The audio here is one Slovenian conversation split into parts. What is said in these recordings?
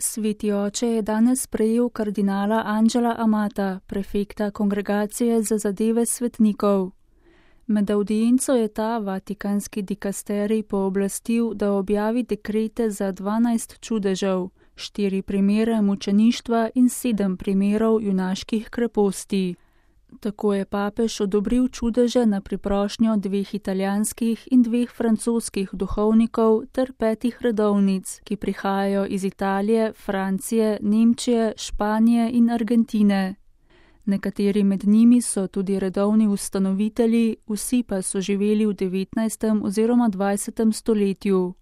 Sveti oče je danes sprejel kardinala Angela Amata, prefekta Kongregacije za zadeve svetnikov. Med avdienco je ta vatikanski dikasterij pooblastil, da objavi dekrete za 12 čudežev, 4 primere mučeništva in 7 primerov junaških kreposti. Tako je papež odobril čudeže na priprošnjo 2 italijanskih in 2 francoskih duhovnikov ter 5 redovnic, ki prihajajo iz Italije, Francije, Nemčije, Španije in Argentine. Nekateri med njimi so tudi redovni ustanovitelji, vsi pa so živeli v 19. oziroma 20. stoletju.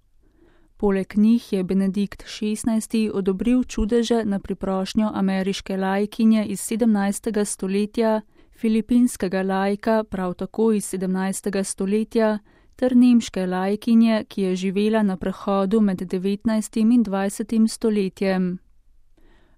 Poleg njih je Benedikt XVI. Odobril čudeže na priprošnjo ameriške laikinje iz 17. stoletja, filipinskega laika prav tako iz 17. stoletja ter nemške laikinje, ki je živela na prehodu med 19. in 20. stoletjem.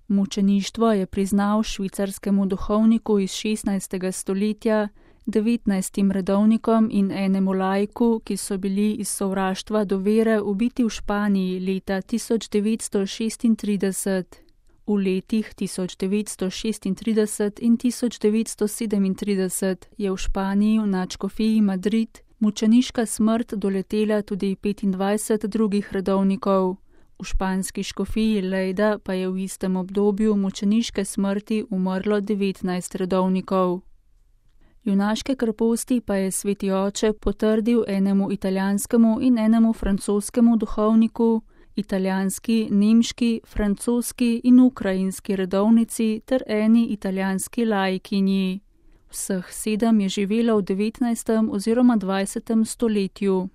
Mučeništvo je priznal švicarskemu duhovniku iz 16. stoletja, 19 redovnikom in enemu laiku, ki so bili iz sovraštva do vere ubiti v Španiji leta 1936. V letih 1936 in 1937 je v Španiji v nadškofiji Madrid mučeniška smrt doletela tudi 25 drugih redovnikov. V španski škofiji Lleida pa je v istem obdobju mučeniške smrti umrlo 19 redovnikov. Junaške kreposti pa je sveti oče potrdil enemu italijanskemu in enemu francoskemu duhovniku, italijanski, nemški, francoski in ukrajinski redovnici ter eni italijanski laikinji. Vseh 7 je živelo v 19. oziroma 20. stoletju.